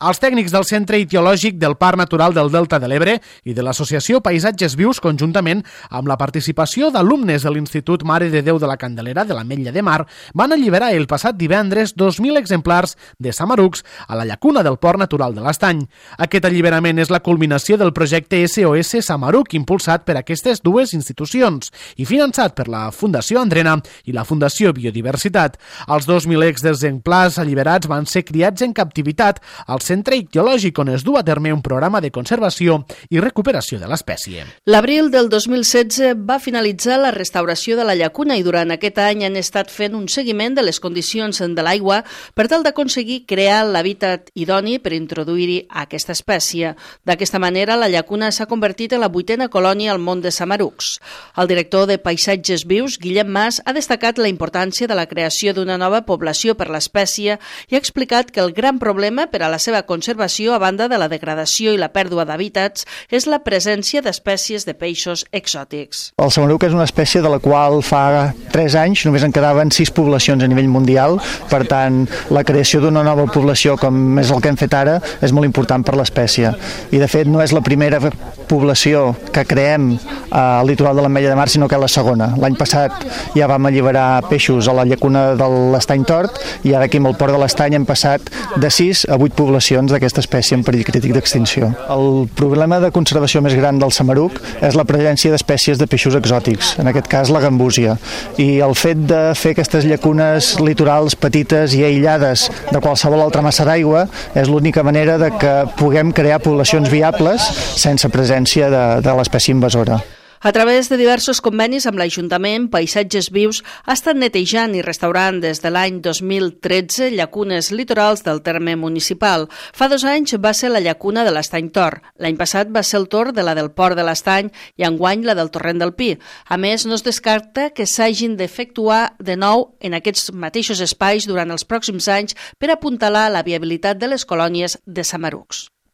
Els tècnics del Centre Ictiològic del Parc Natural del Delta de l'Ebre i de l'Associació Paisatges Vius, conjuntament amb la participació d'alumnes de l'Institut Mare de Déu de la Candelera de l'Ametlla de Mar, van alliberar el passat divendres 2.000 exemplars de samarucs a la llacuna del Port Natural de l'Estany. Aquest alliberament és la culminació del projecte SOS Samaruc impulsat per aquestes dues institucions i finançat per la Fundació Andrena i la Fundació Biodiversitat. Els 2.000 exemplars alliberats van ser criats en captivitat al Centre Ictiològic, on es du a terme un programa de conservació i recuperació de l'espècie. L'abril del 2016 va finalitzar la restauració de la llacuna i durant aquest any han estat fent un seguiment de les condicions de l'aigua per tal d'aconseguir crear l'hàbitat idoni per introduir-hi aquesta espècie. D'aquesta manera, la llacuna s'ha convertit en la 8a colònia al món de samarucs. El director de Paisatges Vius, Guillem Mas, ha destacat la importància de la creació d'una nova població per l'espècie i ha explicat que el gran problema per a la seva conservació, a banda de la degradació i la pèrdua d'hàbitats, és la presència d'espècies de peixos exòtics. El samaruc és una espècie de la qual fa 3 anys només en quedaven 6 poblacions a nivell mundial, per tant, la creació d'una nova població, com és el que hem fet ara, és molt important per l'espècie. I, de fet, no és la primera població que creem al litoral de l'Ametlla de Mar, sinó que és la segona. L'any passat ja vam alliberar peixos a la llacuna de l'Estany Tort i ara aquí amb el Port de l'Estany hem passat de 6 a 8 poblacions d'aquesta espècie en perill crític d'extinció. El problema de conservació més gran del samaruc és la presència d'espècies de peixos exòtics, en aquest cas la gambúsia. I el fet de fer aquestes llacunes litorals petites i aïllades de qualsevol altra massa d'aigua és l'única manera de que puguem crear poblacions viables sense presència de l'espècie invasora. A través de diversos convenis amb l'Ajuntament, Paisatges Vius ha estat netejant i restaurant des de l'any 2013 llacunes litorals del terme municipal. Fa 2 anys va ser la llacuna de l'Estany Tort. L'any passat va ser el torn de la del Port de l'Estany i enguany la del Torrent del Pi. A més, no es descarta que s'hagin d'efectuar de nou en aquests mateixos espais durant els pròxims anys per apuntalar la viabilitat de les colònies de samarucs.